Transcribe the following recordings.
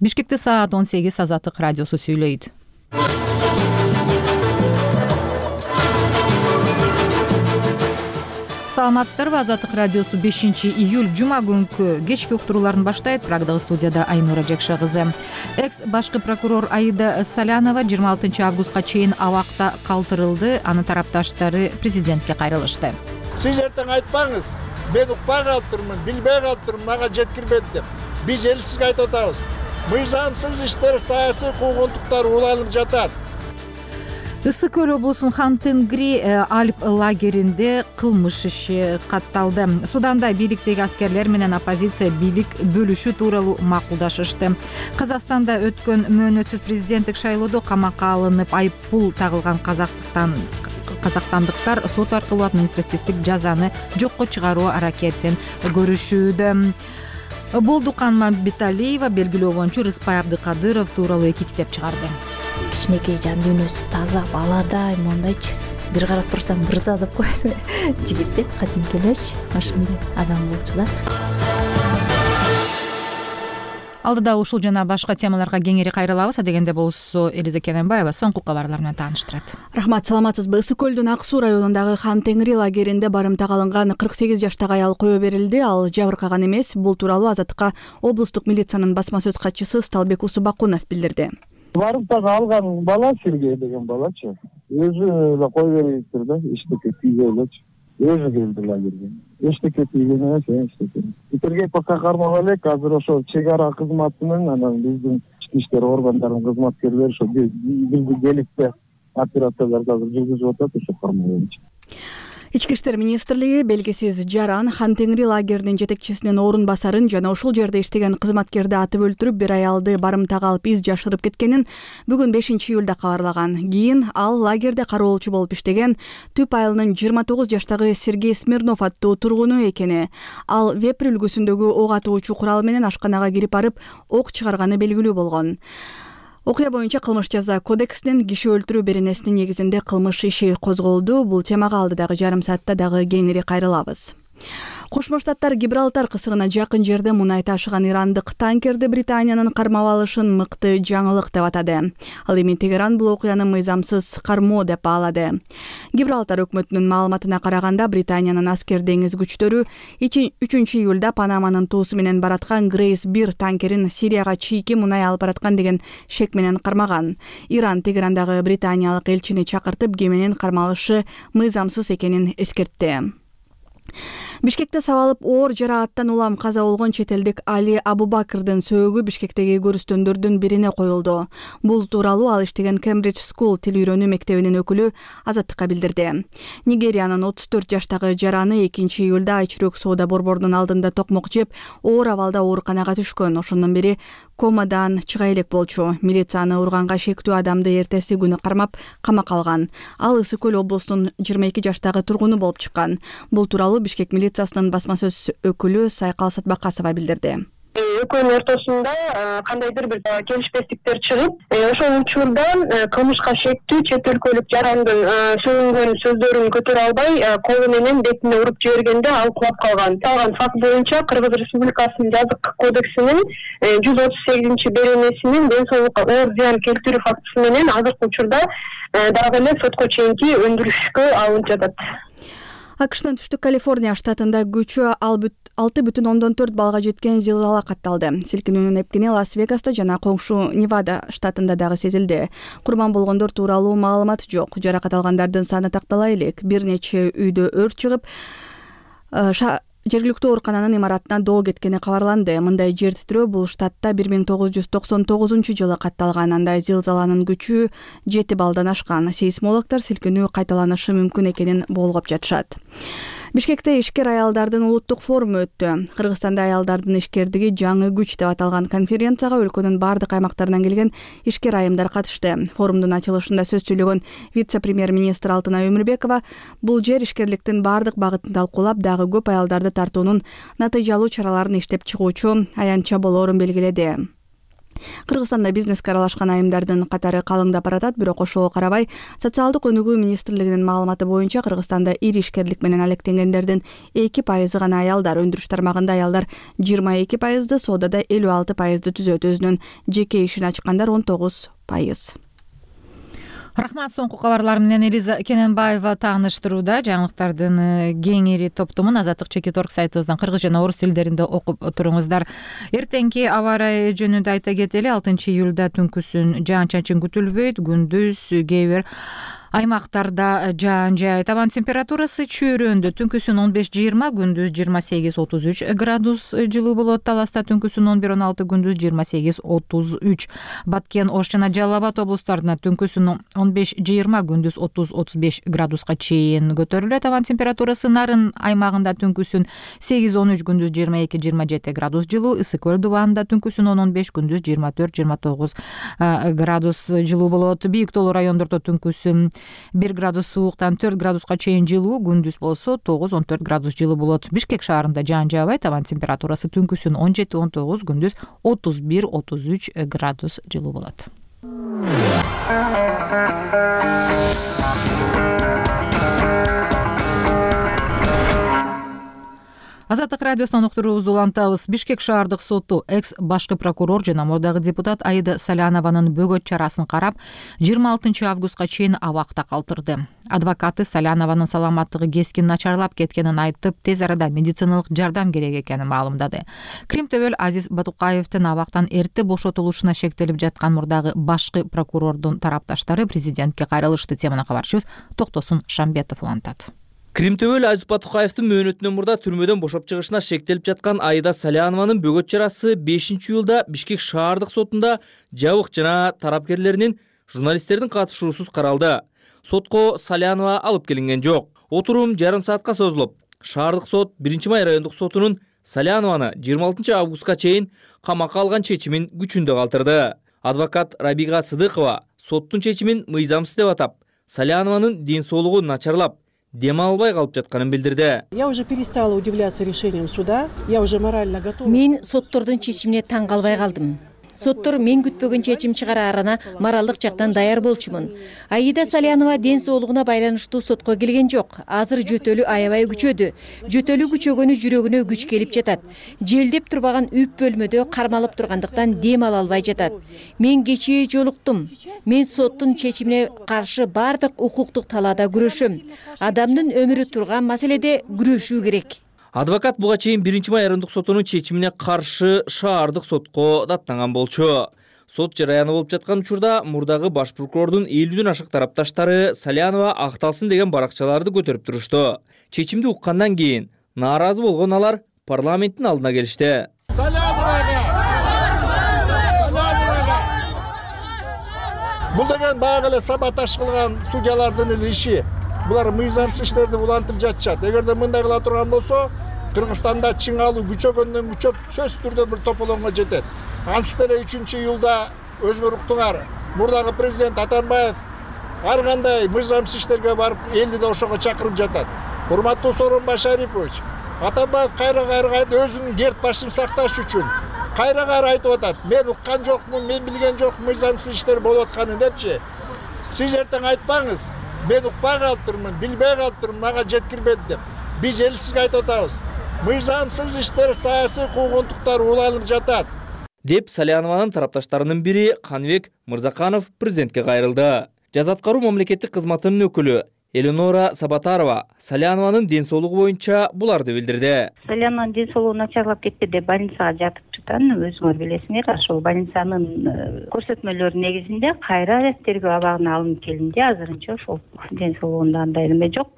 Бишкекте саат 18 Азаттык радиосу сүйлөйт. Саламатсыздарбы? Азаттык радиосу 5-июль жума күнкү кечки уктурууларын баштайт. Прагдагы студияда Айнура Жекше кызы. Экс башкы прокурор Аида Салянова 26 августка чейин абакта калтырылды. Анын тарапташтары президентке кайрылышты. Сиз эртең айтпаңыз, мен укпай калыптырмын, билбей калыптырмын, мага жеткирбedi деп. Биз эл сизге айтып атабыз. Мыйзамсыз иштер, саясий куугунтуктар уланып жатат. Ысык көл облусунун Хан-Тенгри Альп лагеринде кылмыш иши катталды. Суданда бийликтеги аскерлер менен оппозиция бийлик бөлүшүү тууралуу макулдашышты. Казакстанда өткөн мөөнөтсүз президенттик шайлоодо камакка алынып айыппул тагылган казакстандыктар сот аркылуу административдик жазаны жокко чыгаруу аракетин көрүшүүдө. Болдукан Мамбеталиева белгилөө боюнча Рыспай Абдыкадыров тууралуу 2 китеп чыгарды. Кичинекей жан дүйнөсү таза, баладай, мондайчы бир карап турсаң мырза деп коет. Жигит деп кадимки элечи, ошондой адам болчу да. Алдыда ушул жана башка темаларга кеңири кайрылабыз. Адегенде болсо Элиза Кененбаева соңку кабарлар менен тааныштырат. Рахмат, саламатсызбы? Ысык көлдүн Ак Суу районундагы Хан-Тенгри лагеринде барымтага алынган 48 жаштагы аял кое берилди. Ал жабыркаган эмес. Бул тууралуу Азаттыкка облустук милициянын басма сөз катчысы Сталбек Усубакунов билдирди. Барымтага алган бала Сергей деген балачы. Өзү эле кой бериптир да, иштекке тийбей элечи. Өзү келди лагерге. Эчтеке тийген эмес, эчтеке. Итирге пока кармап элек, азыр ошо чек ара кызматынын, анан биздин ички иштер органдарынын кызматкерлери ошо бизди келипте операцияларды азыр жүргүзүп атат, ошо кармоо. Ички иштер министрлиги белгисиз жаран Хан-Тенгри лагеринин жетекчисинин орун басарын жана ошол жерде иштеген кызматкерди атып өлтүрүп, бир аялды барымтага алып из жашырып кеткенин бүгүн 5-июлда кабарлаган. Кийин ал лагерде кароолчу болуп иштеген Түп айылынын 29 жаштагы Сергей Смирнов аттуу тургуну экени. Ал вепр үлгүсүндөгү ок атуучу курал менен ашканага кирип барып, ок чыгарганы белгилүү болгон. Окуя боюнча кылмыш жаза кодексинин киши өлтүрүү беренесинин негизинде кылмыш иши козголду. Бул темага алдыдагы жарым саатта дагы кеңири кайрылабыз. Кошмо Штаттар Гибралтар кысыгына жакын жерде мунай ташыган ирандык танкерди Британиянын кармап алышын мыкты жаңылык деп атады. Ал эми Тегеран бул окуяны мыйзамсыз кармоо деп баалады. Гибралтар өкмөтүнүн маалыматына караганда, Британиянын аскер деңиз күчтөрү 3-июлда Панаманын туусу менен бараткан Грейс 1 танкерин Сирияга чийки мунай алып бараткан деген шек менен кармаган. Иран Тегерандагы британиялык элчини чакыртып, кеменин кармалышы мыйзамсыз экенин эскертти. Бишкекте сабалып оор жарааттан улам каза болгон чет элдик Али Абубакырдын сөөгү Бишкектеги көрүстөндөрдүн бирине коюлду. Бул тууралуу ал иштеген Cambridge School тил үйрөнүү мектебинин өкүлү Азаттыкка билдирди. Нигериянын 34 жаштагы жараны 2-июлда Айчүрөк соода борборунун алдында токмок жеп, оор абалда ооруканага түшкөн. Ошондон бери комадан чыга элек болчу. Милиция урганга шектүү адамды эртеси күнү кармап, камакка алган. Ал Ысык көл облусунун 22 жаштагы тургуну болуп чыккан. Бул тууралуу Бишкек милициясынын басма сөз өкүлү Сайкал Сатбакасова билдирди. Экөөнүн ортосунда кандайдыр бир келишпестиктер чыгып, ошол учурдан кылмышка шектүү чет өлкөлүк жарандын сөйлөгөн сөздөрүн көтөрө албай, колу менен бетине уруп жибергенде ал кулап калган. Калган факт боюнча Кыргыз Республикасынын жазык кодексинин 138 беренесинин ден соолукка оор зыян келтирүү фактысы менен азыркы учурда дагы эле сотко чейинки өндүрүшкө алынып жатат. АКШнын түштүк Калифорния штатында күчү 6,4 балга жеткен зилзала катталды. Силкинүүнүн эпкени Лас-Вегаста жана коңшу Невада штатында дагы сезилди. Курман болгондор тууралуу маалымат жок. Жаракат алгандардын саны тактала элек. Бир нече үйдө өрт чыгып, жергиликтүү оорукананын имаратына доо кеткени кабарланды. Мындай жер титрөө бул штатта 1999 катталган. Андай зилзаланын күчү 7 балдан ашкан. Сейсмологдор силкинүү кайталанышы мүмкүн экенин болгоп жатышат. Бишкекте ишкер аялдардын улуттук форуму өттү. Кыргызстанда аялдардын ишкердиги жаңы күч деп аталган конференцияга өлкөнүн бардык аймактарынан келген ишкер айымдар катышты. Форумдун ачылышында сөз сүйлөгөн вице-премьер-министр Алтынай Өмүрбекова бул жер ишкерликтин бардык багытын талкуулап, дагы көп аялдарды тартуунун натыйжалуу чараларын иштеп чыгуучу аянтча болоорун белгиледи. Кыргызстанда бизнеске аралашкан айымдардын катары калыңдап баратат, бирок ошого карабай Социалдык өнүгүү министрлигинин маалыматы боюнча Кыргызстанда ири ишкерлик менен алектенгендердин 2% гана аялдар. Өндүрүш тармагында аялдар 22%, соодада 56% түзөт, өзүнүн жеке ишин ачкандар 19%. Рахмат, соңку кабарлар менен Элиза Кененбаева тааныштырууда. Жаңылыктардын кеңири топтомун Азаттык Чекиторг сайтыбыздан кыргыз жана орус тилдеринде окуп туруңуздар. Эртеңки аба ырайы жөнүндө айта кетели. 6 июлда түнкүсүн жаан-чачын күтүлбөйт, күндүз кээ бир аймактарда жаан жай. Табан температурасы чөйрөндө түнкүсүн 15-20, күндүз 28-33 градус жылуу болот. Таласта түнкүсүн 11-16, күндүз 28-33. Баткен, Ош жана Жалал Абад облустарында түнкүсүн 15-20, күндүз 30-35 градуска чейин көтөрүлөт. Табан температурасы Нарын аймагында түнкүсүн 8-13, күндүз 22-27 градус жылуу. Ысык көл дубанында түнкүсүн 10-15, күндүз 24-29 градус жылуу болот. Бийик тоолуу райондордо түнкүсүн 1 градус сууктан 4 градуска чейин жылуу, күндүз болсо 9-14 градус жылуу болот. Бишкек шаарында жаан жаабай, табан температурасы түнкүсүн 17-19, күндүз 31-33 градус жылуу болот. Азаттык радиосунан уктуруубузду улантабыз. Бишкек шаардык соту экс башкы прокурор жана мурдагы депутат Аида Салянованын бөгөт чарасын карап, 26 августка чейин абакта калтырды. Адвокаты Салянованын саламаттыгы кескин начарлап кеткенин айтып, тез арада медициналык жардам керек экенин маалымдады. Кримтөбөл Азиз Батукаевдин абактан эрте бошотулушуна шектелип жаткан мурдагы башкы прокурордун тарапташтары президентке кайрылышты. Теманы кабарчыбыз Токтосун Шамбетов улантат. Кримтөбөл Азиз Батукаевдин мөөнөтүнөн мурда түрмөдөн бошоп чыгышына шектелип жаткан Аида Салянованын бөгөт чарасы 5-июлда Бишкек шаардык сотунда жабык жана тарапкерлеринин журналисттердин катышуусуз каралды. Сотко Салянова алып келинген жок. Отурум жарым саатка созулуп, шаардык сот 1-май райондук сотунун Салянованы 26 августка чейин камакка алган чечимин күчүндө калтырды. Адвокат Рабига Сыдыкова соттун чечимин мыйзамсыз деп атап, Салянованын ден соолугу начарлап, дем албай калып жатканын билдирди. Я уже перестала удивляться решением суда. Я уже морально готова. Мен соттордун чечимине таң калбай калдым. Соттор мен күтпөгөн чечим чыгараарына моралдык жактан даяр болчумун. Аида Салянова ден соолугуна байланыштуу сотко келген жок. Азыр жөтөлү аябай күчөдү. Жөтөлү күчөгөнү жүрөгүнө күч келип жатат. Желдеп турбаган үп бөлмөдө кармалып тургандыктан дем ала албай жатат. Мен кечээ жолуктум. Мен соттун чечимине каршы бардык укуктук талаада күрөшөм. Адамдын өмүрү турган маселеде күрөшүү керек. Адвокат буга чейин 1-май райондук сотунун чечимине каршы шаардык сотко даттанган болчу. Сот жараяны болуп жаткан учурда мурдагы баш прокурордун 50ден ашык тарапташтары Салянова акталсын деген баракчаларды көтөрүп турушту. Чечимди уккандан кийин нааразы болгон алар парламенттин алдына келишти. Бул деген баягы эле саботаж кылган судьялардын эле иши. Булар мыйзамсыз иштерди улантып жатышат. Эгерде мындай кыла турган болсо, Кыргызстанда чыңалуу күчөгөндөн күчөп сөзсүз түрдө бир тополоңго жетет. Ансыз деле 3-июлда өзүңөр уктуңар. Мурдагы президент Атамбаев ар кандай мыйзамсыз иштерге барып, элди да ошого чакырып жатат. Урматтуу Сооронбай Шарипович, Атамбаев кайра өзүнүн керт башын сакташ үчүн кайра айтып атат. Мен уккан жокмун, мен билген жокмун мыйзамсыз иштер болуп атканын депчи. Сиз эртең айтпаңыз. Мен укпай калыптырмын, билбей калыптырмын, мага жеткирбеди деп. Биз эл сизге айтып атабыз. Мыйзамсыз иштер, саясий куугунтуктар уланып жатат. Деп Салянованын тарапташтарынын бири Канбек Мырзаканов президентке кайрылды. Жаза аткаруу мамлекеттик кызматынын өкүлү Элинора Сабатарова Салянованын ден соолугу боюнча буларды билдирди. Салянованын ден соолугу начарлап кетти деп больницага жатып жаткан, өзүңөр билесиңер. Ошол больницанын көрсөтмөлөрүнүн негизинде кайра тергөө абагына алынып келинди. Азырынча ошол ден соолугунда андай эме жок.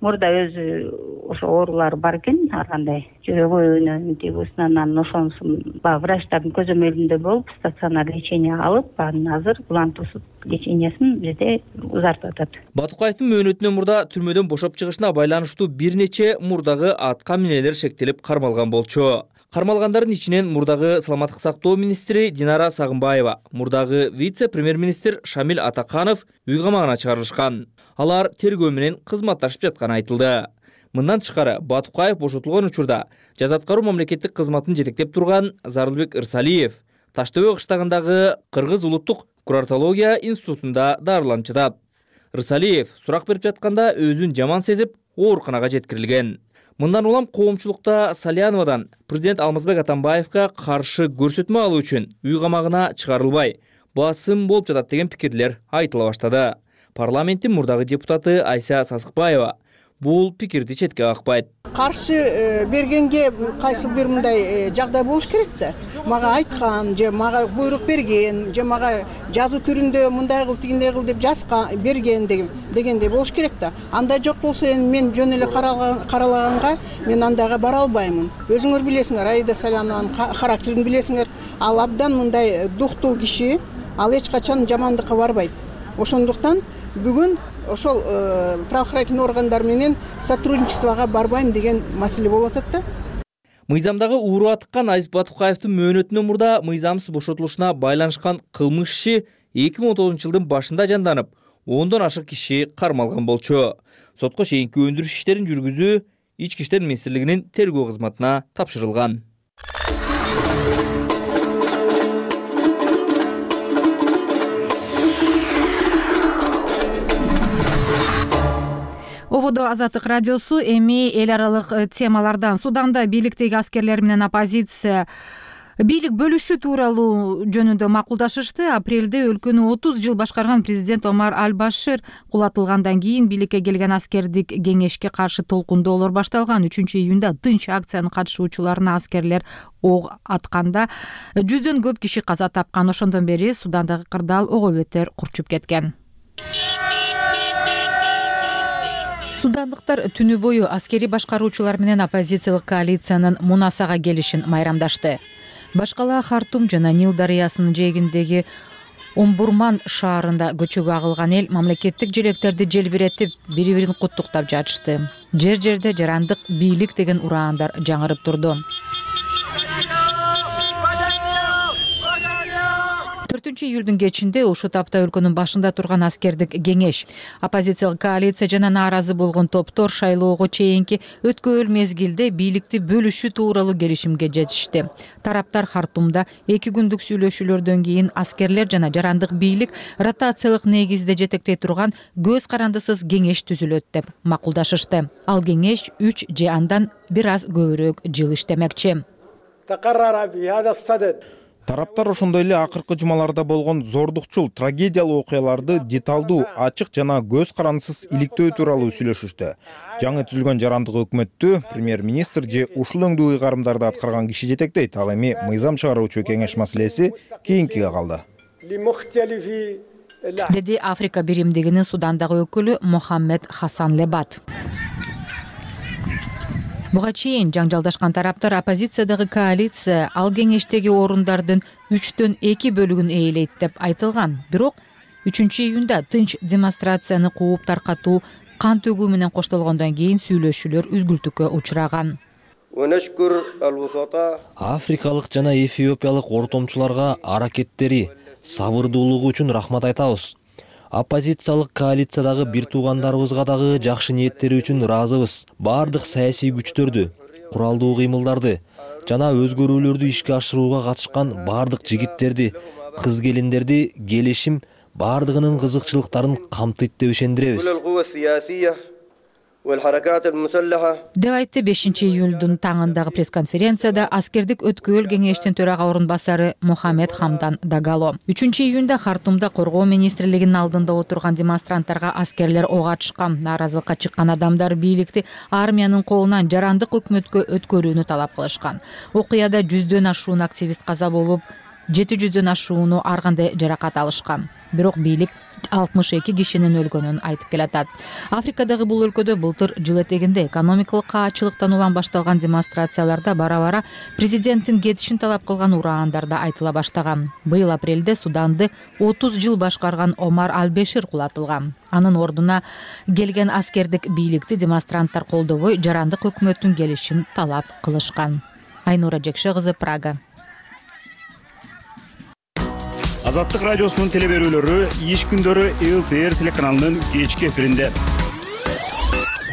Мурда өзү ошо оорулары бар экен, ар кандай жүрөгүнөн, тибусунан, ошонусун врачтардын көзөмөлүндө болуп, стационар лечение алып, азыр улантуусуз лечениясын бизде узартып атат. Батукаевдин мөөнөтүнөн мурда түрмөдөн бошоп чыгышына байланыштуу бир нече мурдагы атка минелер шектелип кармалган болчу. Кармалгандардын ичинен мурдагы саламаттык сактоо министри Динара Сагынбаева, мурдагы вице-премьер-министр Шамил Атаканов үй камагына чыгарылышкан. Алар тергөө менен кызматташып жатканы айтылды. Мындан тышкары Батукаев бошотулган учурда жаза аткаруу мамлекеттик кызматын жетектеп турган Зарылбек Ырсалиев, Таш төбө кыштагындагы Кыргыз улуттук курортология институтунда дарыланып жатат. Рысалиев сурак берип жатканда өзүн жаман сезип, ооруканага жеткирилген. Мындан улам коомчулукта Саляновадан президент Алмазбек Атамбаевга каршы көрсөтмө алуу үчүн үй камагына чыгарылбай, басым болуп жатат деген пикирлер айтыла баштады. Парламенттин мурдагы депутаты Айса Сасыкбаева бул пикирди четке какпайт. Каршы бергенге кайсы бир мындай жагдай болуш керек да. Мага айткан, же мага буйрук берген, же мага жазуу түрүндө мындай кыл, тигиндей кыл деп жазган, берген дегендей болуш керек да. Андай жок болсо эми мен жөн эле каралаганга мен андайга бара албаймын. Өзүңөр билесиңер, Аида Салянованын характерин билесиңер. Ал абдан мындай дуктуу киши, ал эч качан жамандыкка барбайт. Ошондуктан бүгүн ошол правоохранительный органдар менен сотрудничествого барбайм деген маселе болуп атат да. Мыйзамдагы ууру атыккан Айзат Батукаевдин мөөнөтүнөн мурда мыйзамсыз бошотулушуна байланышкан кылмыш иши 2019-жылдын башында жанданып, 10дон ашык киши кармалган болчу. Сотко чейинки өндүрүш иштерин жүргүзүү Ички иштер министрлигинин тергөө кызматына тапшырылган. Ободо Азаттык радиосу эми эл аралык темалардан. Суданда бийликтеги аскерлер менен оппозиция бийлик бөлүшүү тууралуу жөнүндө макулдашышты. Апрелде өлкөнү 30 жыл башкарган президент Омар Аль-Башир кулатылгандан кийин бийликке келген аскердик кеңешке каршы толкундоолор башталган. 3-июнда тынч акциянын катышуучуларына аскерлер ок атканда 100дөн көп киши каза тапкан. Ошондон бери Судандагы кырдаал ого бетер курчуп кеткен. Судандыктар түнү бою аскери башкаруучулар менен оппозициялык коалициянын мунасага келишин майрамдашты. Башкала Хартум жана Нил дарыясынын жээгиндеги Омбурман шаарында көчөгө агылган эл мамлекеттик желектерди желбиретип, бири-бирин куттуктап жатышты. Жер-жерде жарандык бийлик деген ураандар жаңырып турду. 4-июлдун кечинде ушул тапта өлкөнүн башында турган аскердик кеңеш, оппозициялык коалиция жана нааразы болгон топтор шайлоого чейинки өткөөл мезгилде бийликти бөлүшүү тууралуу келишимге жетишти. Тараптар Хартумда 2 күндүк сүйлөшүүлөрдөн кийин аскерлер жана жарандык бийлик ротациялык негизде жетектей турган көз карандысыз кеңеш түзүлөт деп макулдашышты. Ал кеңеш 3 же андан бир аз көбүрөөк жыл иштемекчи. Тараптар ошондой эле акыркы жумаларда болгон зордукчул, трагедиялуу окуяларды деталдуу, ачык жана көз карандысыз иликтөө тууралуу сүйлөшүштү. Жаңы түзүлгөн жарандык өкмөттү премьер-министр же ушул өңдүү ыйгарымдарды аткарган киши жетектейт. Ал эми мыйзам чыгаруучу кеңеш маселеси кийинкиге калды. Деди Африка биримдигинин Судандагы өкүлү Мохаммед Хасан Лебат. Буга чейин жаңжалдашкан тараптар оппозициядагы коалиция ал кеңештеги орундардын 3дөн 2 бөлүгүн ээлейт деп айтылган. Бирок 3-июнда тынч демонстрацияны кууп таркатуу кан төгүү менен коштолгондон кийин сүйлөшүүлөр үзгүлтүккө учураган. Африкалык жана эфиопиялык ортомчуларга аракеттери, сабырдуулугу үчүн рахмат айтабыз. Оппозициялык коалициядагы бир туугандарыбызга дагы жакшы ниеттери үчүн ыраазыбыз. Бардык саясий күчтөрдү, куралдуу кыймылдарды жана өзгөрүүлөрдү ишке ашырууга катышкан бардык жигиттерди, кыз-келиндерди келишим бардыгынын кызыкчылыктарын камтыйт деп ишендиребиз. Деп айтты 5-июлдун таңындагы пресс-конференцияда аскердик өткөөл кеңештин төрага орун басары Мохаммед Хамдан Дагало. 3-июнда Хартумда коргоо министрлигинин алдында отурган демонстранттарга аскерлер ок атышкан. Нааразылыкка чыккан адамдар бийликти армиянын колунан жарандык өкмөткө өткөрүүнү талап кылышкан. Окуяда 100дөн ашуун активист каза болуп, 700дөн ашууну ар кандай жаракат алышкан. Бирок бийлик 62 кишинин өлгөнүн айтып келатат. Африкадагы бул өлкөдө былтыр жыл этегинде экономикалык каачылыктан улам башталган демонстрацияларда бара-бара президенттин кетишин талап кылган ураандар да айтыла баштаган. Быйыл апрелде Суданды 30 жыл башкарган Омар Аль-Башир кулатылган. Анын ордуна келген аскердик бийликти демонстранттар колдобой, жарандык өкмөттүн келишин талап кылышкан. Айнура Жекше кызы, Прага. Азаттык радиосунун телеберүүлөрү иш күндөрү ЛТР телеканалынын кечки эфиринде.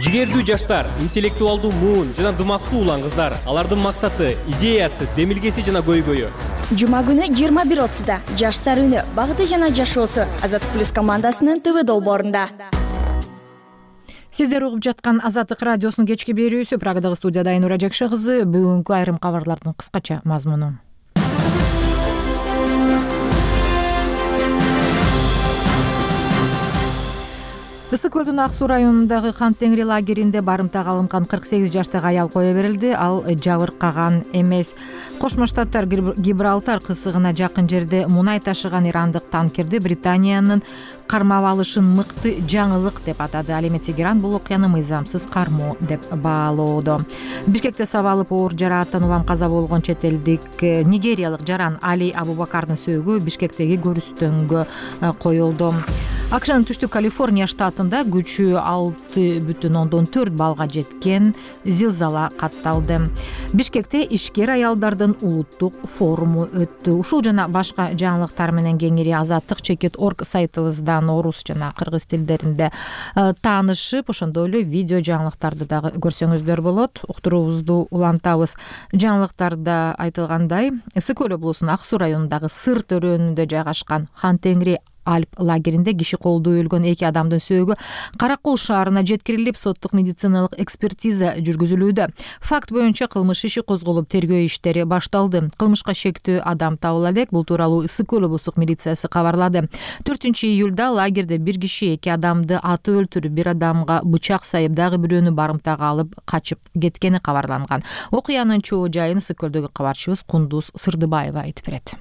Жигердүү жаштар, интеллектуалдуу муун жана дымактуу улан кыздар. Алардын максаты, идеясы, демилгеси жана көйгөйү Жума күнү 21:30 Жаштар үнү, багыты жана жашоосу Азаттык плюс командасынын ТВ долбоорунда. Сиздер угуп жаткан Азаттык радиосунун кечки берүүсү. Прагадагы студияда Айнура Жакшы кызы. Бүгүнкү айрым кабарлардын кыскача мазмуну. Ысык көлдүн Ак Суу районундагы Хан Теңри лагеринде барымтага алынган 48 жаштагы аял кое берилди. Ал жабыркаган эмес. Кошмо Штаттар Гибралтар кысыгына жакын жерде мунай ташыган ирандык танкерди Британиянын кармап алышын мыкты жаңылык деп атады. Ал эми Тегеран бул окуяны мыйзамсыз кармоо деп баалоодо. Бишкекте сабалып оор жарааттан улам каза болгон чет элдик нигериялык жаран Али Абубакардын сөөгү Бишкектеги көрүстөнгө коюлду. АКШнын түштүк Калифорния штатында күчү 6,4 балга жеткен зилзала катталды. Бишкекте ишкер аялдардын улуттук форуму өттү. Ушул жана башка жаңылыктар менен кеңири Азаттык.org сайтыбыздан орус жана кыргыз тилдеринде таанышып, ошондой эле видео жаңылыктарды дагы көрсөңүздөр болот. Уктуруубузду улантабыз. Жаңылыктарда айтылгандай, Ысык көл облусунун Ак Суу районундагы Сыр төрөөнүндө жайгашкан Хан Теңри Альп лагеринде киши колдуу өлгөн 2 адамдын сөөгү Каракол шаарына жеткирилип, соттук медициналык экспертиза жүргүзүлүүдө. Факт боюнча кылмыш иши козголуп, тергөө иштери башталды. Кылмышка шектүү адам табыла элек. Бул тууралуу Ысык көл облустук милициясы кабарлады. 4-июлда лагерде бир киши 2 адамды атып өлтүрүп, бир адамга бычак сайып, дагы бирөөнү барымтага алып качып кеткени кабарланган. Окуянын чоо жайын Ысык көлдөгү кабарчыбыз Кундуз Сырдыбаева айтып берет.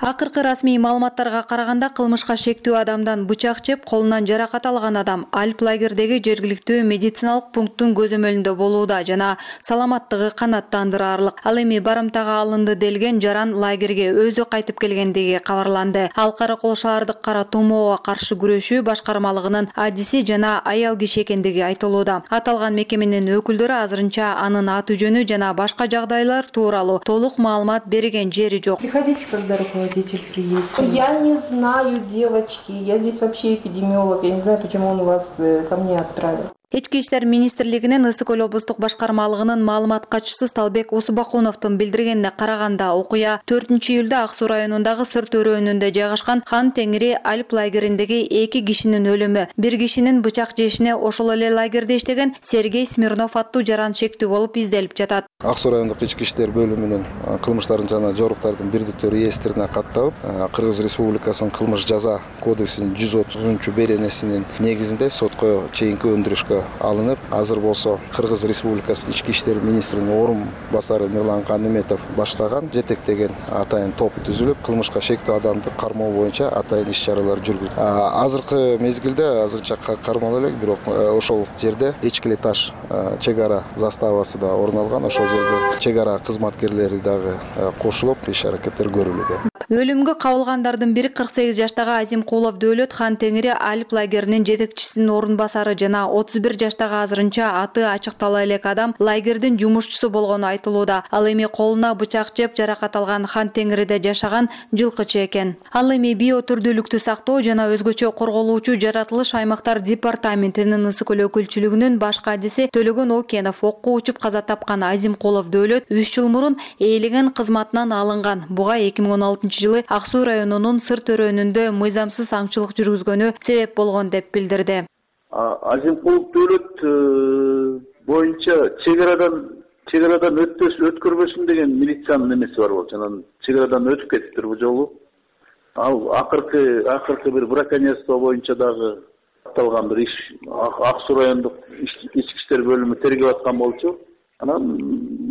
Акыркы расмий маалыматтарга караганда кылмышка шектүү адамдан бычак жеп, колунан жаракат алган адам Альп лагердеги жергиликтүү медициналык пункттун көзөмөлүндө болууда жана саламаттыгы канааттандыраарлык. Ал эми барымтага алынды делген жаран лагерге өзү кайтып келгендиги кабарланды. Ал Каракол шаардык кара тумоого каршы күрөшүү башкармалыгынын адиси жана аял киши экендиги айтылууда. Аталган мекеменин өкүлдөрү азырынча анын аты жөнү жана башка жагдайлар тууралуу толук маалымат берген жери жок. Приходите, когда руководитель приедет. Я не знаю, девочки. Я здесь вообще эпидемиолог. Я не знаю, почему он вас ко мне отправил. Ички иштер министрлигинин Ысык көл облустук башкармалыгынын маалымат катчысы Талбек Усубакуновдун билдиргенине караганда, окуя 4-июлда Ак Суу районундагы Сыр төрөөнүндө жайгашкан Хан Теңри Альп лагериндеги 2 кишинин өлүмү, бир кишинин бычак жешине ошол эле лагерде иштеген Сергей Смирнов аттуу жаран шектүү болуп изделип жатат. Ак Суу райондук ички иштер бөлүмүнүн кылмыштардын жана жоруктардын бирдиктүү реестрине катталып, Кыргыз Республикасынын кылмыш жаза кодексинин 130-беренесинин негизинде сотко чейинки өндүрүшкө алынып, азыр болсо Кыргыз Республикасынын ички иштер министринин орун басары Мирлан Каныметов баштаган жетектеген атайын топ түзүлүп, кылмышка шектүү адамды кармоо боюнча атайын иш-чаралар жүргүзүлөт. Азыркы мезгилде азырынча кармалып элек, бирок ошол жерде Эчкили таш чек ара заставасы да орун алган. Ошол жерде чек ара кызматкерлери дагы кошулуп, иш-аракеттер көрүлүүдө. Өлүмгө кабылгандардын бири 48 жаштагы Азимкулов Дөөлөт Хан Теңри Альп лагеринин жетекчисинин орун басары жана 31 жаштагы азырынча аты ачыктала элек адам лагердин жумушчусу болгону айтылууда. Ал эми колуна бычак жеп жаракат алган Хан Теңриде жашаган жылкычы экен. Ал эми биотүрдүүлүктү сактоо жана өзгөчө корголуучу жаратылыш аймактар департаментинин Ысык көл өкүлчүлүгүнүн башкы адиси Төлөгөн Окенов окко учуп каза тапкан Азимкулов Дөөлөт 3 жыл мурун ээлеген кызматынан алынган. Буга 2016-жылы Ак Суу районунун Сыр төрөөнүндө мыйзамсыз аңчылык жүргүзгөнү себеп болгон деп билдирди. Азимкулов Дөөлөт боюнча чек арадан өткөрбөсүн деген милициянын эмеси бар болчу. Анан чек арадан өтүп кетиптир бул жолу. Ал акыркы бир браконьерство боюнча дагы аталган бир иш Ак Суу райондук ички иштер бөлүмү тергеп аткан болчу. Анан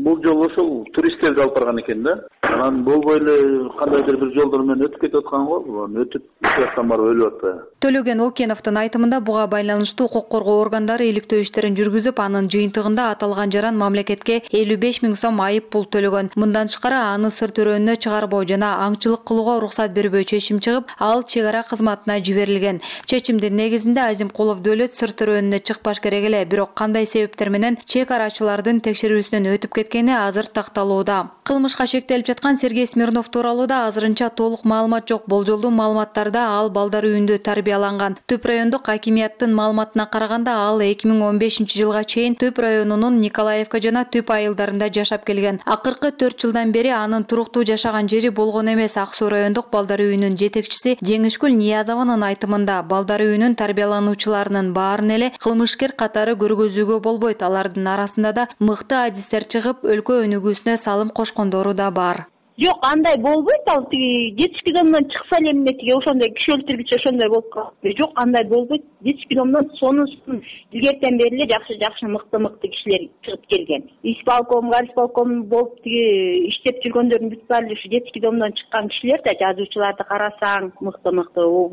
бул жолу ошол туристтерди алып барган экен да. Анан болбой эле кандайдыр бир жолдор менен өтүп кетип аткан го. Өтүп жактан барып өлүп атты. Төлөгөн Океновдун айтымында буга байланыштуу укук коргоо органдары иликтөө иштерин жүргүзүп, анын жыйынтыгында аталган жаран мамлекетке 55 000 сом айып пул төлөгөн. Мындан тышкары аны Сыр төрөөнүнө чыгарбоо жана аңчылык кылууга уруксат бербөө чечим чыгып, ал чек ара кызматына жиберилген. Чечимдин негизинде Азимкулов Дөөлөт Сыр төрөөнүнө чыкпаш керек эле, бирок кандай себептер менен чек арачылардын текшерүүсүнөн өтүп кеткен экени азыр такталууда. Кылмышка шектелип жаткан Сергей Смирнов тууралуу да азырынча толук маалымат жок. Болжолдуу маалыматтарда ал балдар үйүндө тарбияланган. Түп райондук акимияттын маалыматына караганда ал 2015-жылга чейин Түп районунун Николаевка жана Түп айылдарында жашап келген. Акыркы 4 жылдан бери анын туруктуу жашаган жери болгон эмес. Ак Суу райондук балдар үйүнүн жетекчиси Жеңишкүл Ниязованын айтымында балдар үйүнүн тарбиялануучуларынын баарын эле кылмышкер катары көргөзүүгө болбойт. Алардын арасында да мыкты адистер чыгып, өлкө өнүгүүсүнө салым кошкондору да бар. Жок, андай болбойт. Ал тиги жетишки домдон чыкса эле эмне тиги ошондой киши өлтүргүч ошондой болуп калат. Жок, андай болбойт. Жетишки домдон сонусун илгертен бери эле жакшы мыкты кишилер чыгып келген. Исполком, горисполком болуп тиги иштеп жүргөндөрдүн бүт баары ушу жетишки домдон чыккан кишилер да, жазуучуларды карасаң, мыкты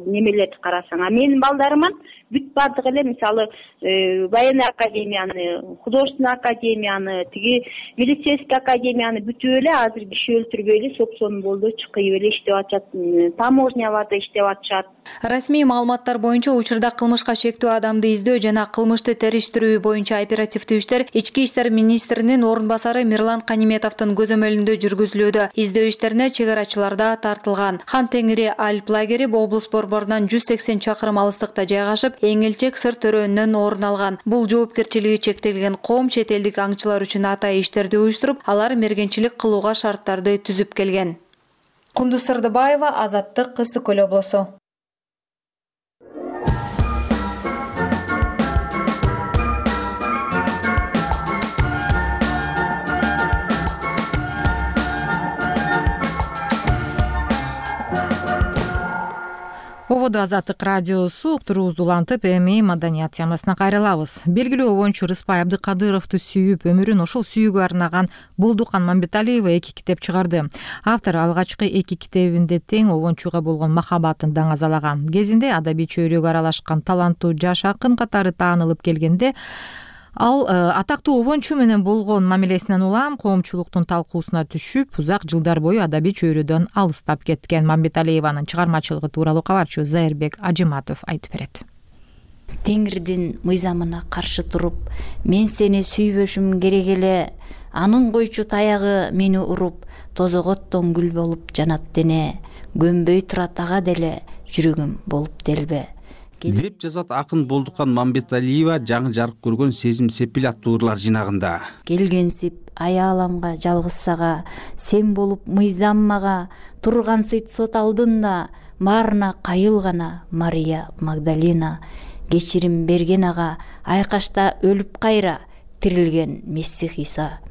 немелерди карасаң. А менин балдарымын бүт баардык эле мисалы военный академияны, художественный академияны, тиги милицейский академияны бүтүп эле азыр киши өлтүрбөй эле сопсонун болдочу кыйып эле иштеп атышат. Таможняларда иштеп атышат. Расмий маалыматтар боюнча учурда кылмышка шектүү адамды издөө жана кылмышты териштирүү боюнча оперативдүү иштер Ички иштер министринин орун басары Мирлан Каниметовдун көзөмөлүндө жүргүзүлүүдө. Издөө иштерине чек арачылар да тартылган. Хан Теңири Альп лагери облус борборунан 180 чакырым алыстыкта жайгашып, эң элчек сыр төрөөнүнөн орун алган. Бул жоопкерчилиги чектелген коом чет элдик аңчылар үчүн атайын иштерди уюштуруп, алар мергенчилик кылууга шарттарды түзүп келген. Кундуз Сырдыбаева, Азаттык, Ысык Көл облусу. Ободо Азаттык радиосу уктуруубузду улантып, эми маданият темасына кайрылабыз. Белгилүү обончу Рыспай Абдыкадыровду сүйүп, өмүрүн ошол сүйүүгө арнаган Болдукан Мамбеталиева 2 китеп чыгарды. Автор алгачкы 2 китебинде тең обончуга болгон махабатын даңазалаган. Кезинде адабий чөйрөгө аралашкан таланттуу жаш акын катары таанылып келгенде, ал атактуу обончу менен болгон мамилесинен улам коомчулуктун талкуусуна түшүп, узак жылдар бою адабий чөйрөдөн алыстап кеткен. Мамбеталиеванын чыгармачылыгы тууралуу кабарчыбыз Зайырбек Ажиматов айтып берет. Теңирдин мыйзамына каршы туруп, мен сени сүйбөшүм керек эле, анын койчу таягы мени уруп, тозоготтон гүл болуп жанат дене, көнбөй турат ага деле, жүрөгүм болуп делбе деп жазат акын Болдукан Мамбеталиева жаңы жарык көргөн Сезим сепил аттуу ырлар жинагында. Келгенсип аяаламга жалгыз сага, сен болуп мыйзам мага, тургансыйт сот алдында, баарына кайыл гана Мария Магдалина, кечирим берген ага, айкашта өлүп кайра, тирилген Мессих Иса.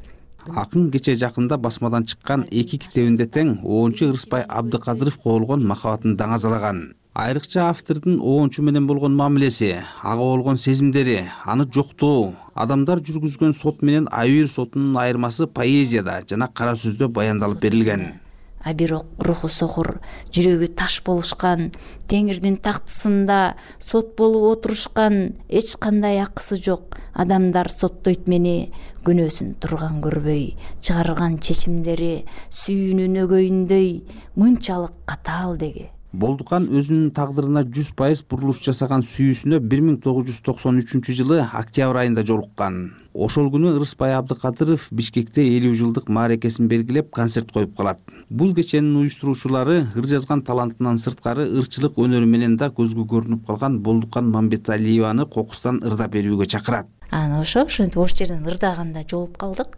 Акын кече жакында басмадан чыккан 2 китебинде тең обончу Рыспай Абдыкадыровго болгон махабатын даңазалаган. Айрыкча автордун обончу менен болгон мамилеси, ага болгон сезимдери, аны жоктоо, адамдар жүргүзгөн сот менен айыр сотунун айырмасы поэзияда жана кара сөздө баяндалып берилген. А бирок руху сохур, жүрөгү таш болушкан, Теңирдин тактысында сот болуп отурушкан, эч кандай акысы жок. Адамдар соттойт мени, күнөөсүн турган көрбөй, чыгарган чечимдери сүйүүнүн өгөйүндөй, мынчалык катаал деги. Болдукан өзүнүн тагдырына 100% бурулуш жасаган сүйүүсүнө 1993-жылы октябрь айында жолуккан. Ошол күнү Рыспай Абдыкадыров Бишкекте 50 жылдык мааракесин белгилеп концерт коюп калат. Бул кеченин уюштуруучулары ыр жазган талантынан сырткары ырчылык өнөрү менен да көзгө көрүнүп калган Болдукан Мамбеталиеваны кокустан ырдап берүүгө чакырат. Аны ошентип ош жерден ырдаганда жолуп калдык.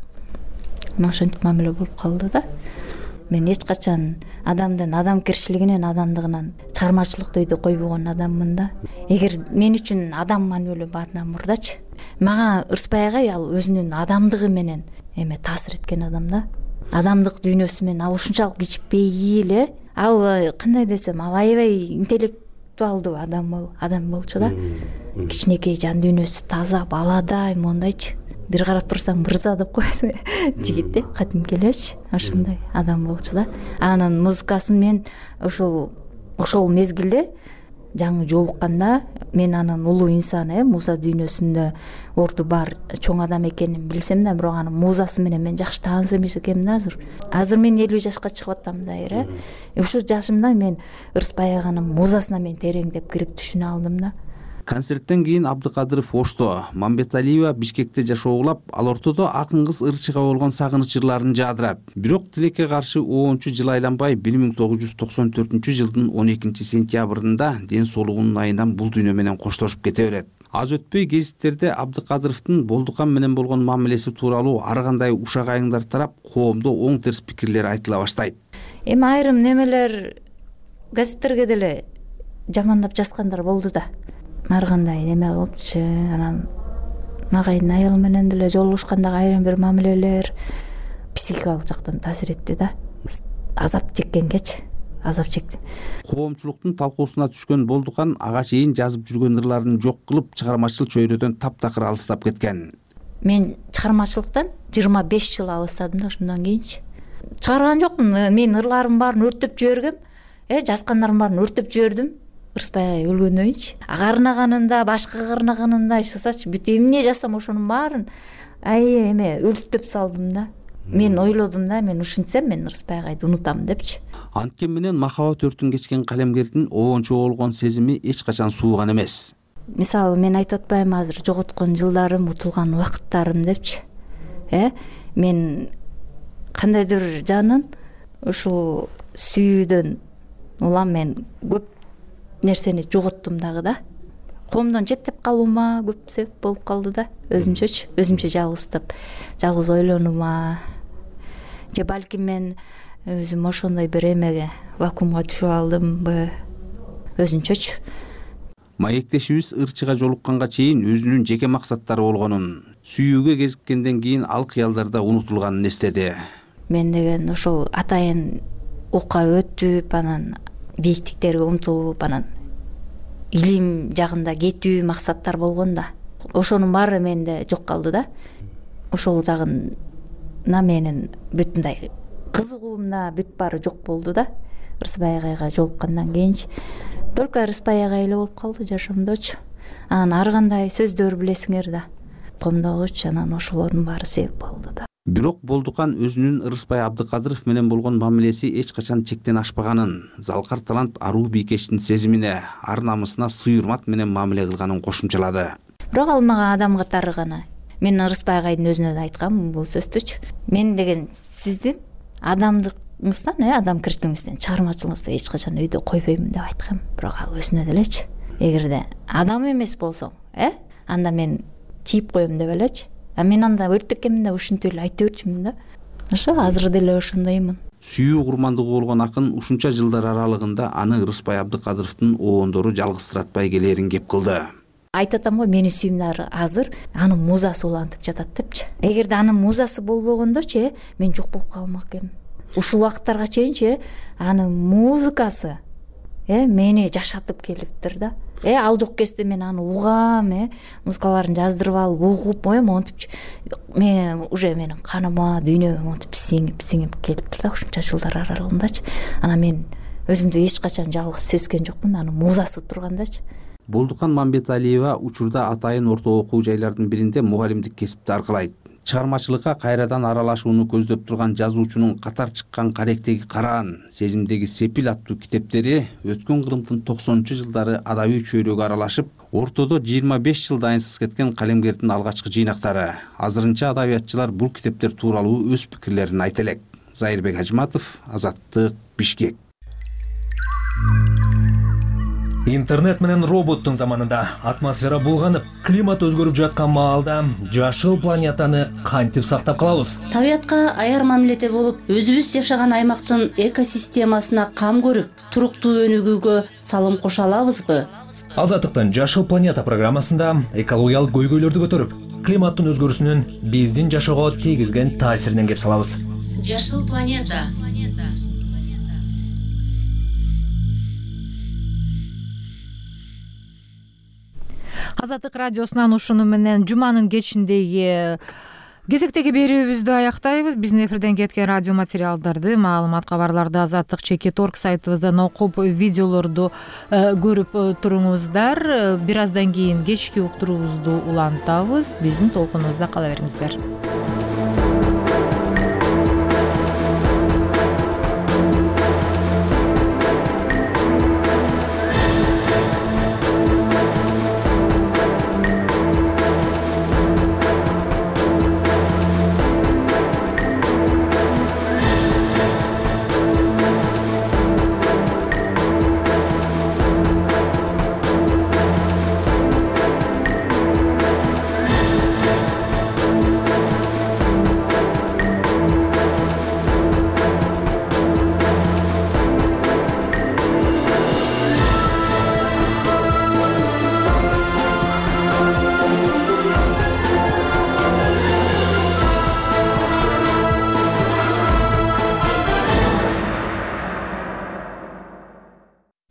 Ошентип мамиле болуп калды да. Мен эч качан адамдын адамкерчилигинен, адамдыгынан чыгармачылыкты өйдө койбогон адаммын да. Эгер мен үчүн адам маанилүү баарынан мурдачы, мага Рыспай агай ал өзүнүн адамдыгы менен таасир эткен адам да. Адамдык дүйнөсү менен ал ушунчалык кичпейил эле. Ал кандай десем, ал аябай интеллектуалдуу адам болчу да. Кичинекей жан дүйнөсү таза, баладай, мондайчы. Бир карап турсаң мырза деп коет жигит да, кадимки элечи, ошондой адам болчу да. Анын музыкасын мен ошол мезгилде жаңы жолукканда мен анын улуу инсан, муза дүйнөсүндө орду бар чоң адам экенин билсем да, бирок анын музасы менен мен жакшы тааныса эмес экенмин да азыр. Азыр мен 50 жашка чыгып атам да, Ушул жашымда мен Рыспай аганын музасына мен тереңдеп кирип түшүнө алдым да. Концерттен кийин Абдыкадыров Ошто, Мамбеталиева Бишкекте жашоолап, ал ортодо акын кыз ырчыга болгон сагыныч жырларын жаадырат. Бирок тилекке каршы оончу жыл айланбай 1994-жылдын 12-сентябрында ден соолугунун айынан бул дүйнө менен коштошуп кете берет. Аз өтпөй гезиттерде Абдыкадыровдун Болдукан менен болгон мамилеси тууралуу ар кандай ушак айыңдар тарап коомдо оң терс пикирлер айтыла баштайт. Эми айрым немелер газеттерге деле жамандап жазгандар болду да. Ар кандай неме кылыпчы, анан агайдын аял менен деле жолугушкандагы айрым бир мамилелер психикалык жактан таасир этти да. Азап чеккенгечи, азап чекти. Коомчулуктун талкуусуна түшкөн Болдукан ага чейин жазып жүргөн ырларын жок кылып, чыгармачыл чөйрөдөн таптакыр алыстап кеткен. Мен чыгармачылыктан 25 жыл алыстадым да ошондон кийинчи. Чыгарган жокмун, мен ырларымдын баарын өртөп жибергем, жазгандарымдын баарын өртөп жибердим. Ырысбай өлгөндөн кийинчи. Карынаганында, башка карынаганында ишсачы бүт эмне жасам ошонун баарын эме өлтүрүп салдым да. Мен ойлодум да, мен ушинтсем мен Ырысбай агайды унутам депчи. Анткен менен махабат өртүн кечкен калемгердин оончу болгон сезими эч качан сууган эмес. Мисалы мен айтып атпайм азыр жоготкон жылдарым, утулган убакыттарым депчи. Мен кандайдыр жанын ушул сүйүүдөн улам мен көп нерсени жоготтум дагы да. Коомдон четтеп калуума көп себеп болуп калды да. Өзүмчө жалгыздап, жалгыз ойлонуума. Же балким мен өзүм ошондой бир эмеге вакуумга түшүп алдымбы, өзүнчөчү. Маектешибиз ырчыга жолукканга чейин өзүнүн жеке максаттары болгонун, сүйүүгө кезиккенден кийин ал кыялдарда унутулганын эстеди. Мен деген ошол атайын окка өтүп, анан бийиктиктерге умтулуп, анан илим жагында кетүү максаттар болгон да. Ошонун баары менде жок калды да. Ошол жагына менин бүтүндөй кызыгуумда бүт баары жок болду да. Ырысбай агайга жолуккандан кийинчи только Ырысбай агай эле болуп калды жашоомдочу. Анан ар кандай сөздөр билесиңер да. Комдогучу анан ошолордун баары себеп болду да. Бирок Болдукан өзүнүн Ырысбай Абдыкадыров менен болгон мамилеси эч качан чектен ашпаганын, залкар талант аруу бийкештин сезимине, ар намысына сый-урмат менен мамиле кылганын кошумчалады. Бирок ал мага адам катары гана. Мен Ырысбай агайдын өзүнө да айткам бул сөздүчү. Мен деген сиздин адамдыгыңыздан, адамкерчилигиңизден, чыгармачылыгыңызды эч качан өйдө койбоймун деп айткам. Бирок ал өзүнө делечи. Эгерде адам эмес болсоң, анда мен тийип коем деп элечи. Мен анда өрттөккенмин да ушинтип эле айта берчүмүн да. Ошо азыр деле ошондоймун. Сүйүү курмандыгы болгон акын ушунча жылдар аралыгында аны Ырысбай Абдыкадыровдун оондору жалгызсыратпай келерин кеп кылды. Айтып атам го, менин сүйүүмдөр азыр анын музасы улантып жатат депчи. Эгерде анын музасы болбогондочу, мен жок болуп калмак элем. Ушул убакыттарга чейинчи анын музыкасы мени жашатып келиптир да. Ал жок кезде мен аны угам, музыкаларын жаздырып алып угуп, монтип мен уже менин каныма, дүйнөмө монтип сиңип келиптир да ушунча жылдар аралыгындачы. Анан мен өзүмдү эч качан жалгыз сезген жокмун, анын музасы тургандачы. Болдукан Мамбеталиева учурда атайын орто окуу жайлардын биринде мугалимдик кесипти аркылайт. Чыгармачылыкка кайрадан аралашууну көздөп турган жазуучунун катар чыккан Каректеги Караан, Сезимдеги Сепил аттуу китептери өткөн кылымдын 90-жылдары адабий чөйрөгө аралашып, ортодо 25 жыл дайынсыз кеткен калемгердин алгачкы жыйнактары. Азырынча адабиятчылар бул китептер тууралуу өз пикирлерин айта элек. Зайырбек Ажматов, Азаттык, Бишкек. Интернет менен роботтун заманында атмосфера булганып, климат өзгөрүп жаткан маалда жашыл планетаны кантип сактап калабыз? Табиятка аяр мамиледе болуп, өзүбүз жашаган аймактын экосистемасына кам көрүп, туруктуу өнүгүүгө салым кошо алабызбы? Азаттыктын Жашыл планета программасында экологиялык көйгөйлөрдү көтөрүп, климаттын өзгөрүүсүнүн биздин жашоого тийгизген таасиринен кеп салабыз. Жашыл планета. Азаттык радиосунан ушуну менен жуманын кечиндеги кезектеги берүүбүздү аяктайбыз. Биздин эфирден кеткен радио материалдарды, маалымат кабарларды Азаттык.org сайтыбыздан окуп, видеолорду көрүп туруңуздар. Бир аздан кийин кечки уктуруубузду улантабыз. Биздин толкунубузда кала бериңиздер.